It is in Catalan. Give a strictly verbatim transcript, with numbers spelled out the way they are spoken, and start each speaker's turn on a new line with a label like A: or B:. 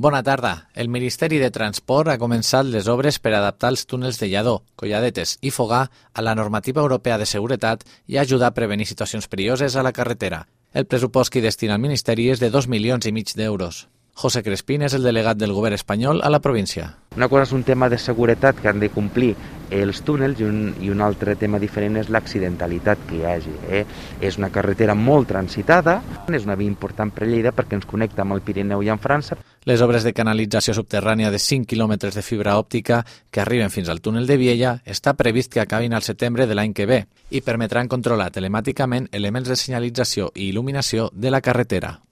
A: Bona tarda. El Ministeri de Transport ha començat les obres per adaptar els túnels de Lladó, Colladetes i Fogà a la normativa europea de seguretat i ajudar a prevenir situacions perilloses a la carretera. El pressupost que hi destina el Ministeri és de dos milions i mig d'euros. José Crespín és el delegat del govern espanyol a la província.
B: Una cosa és un tema de seguretat que han de complir els túnels i un, i un altre tema diferent és l'accidentalitat que hi hagi. Eh? És una carretera molt transitada, és una via important per Lleida perquè ens connecta amb el Pirineu i amb França.
A: Les obres de canalització subterrània de cinc quilòmetres de fibra òptica que arriben fins al túnel de Viella està previst que acabin al setembre de l'any que ve i permetran controlar telemàticament elements de senyalització i il·luminació de la carretera.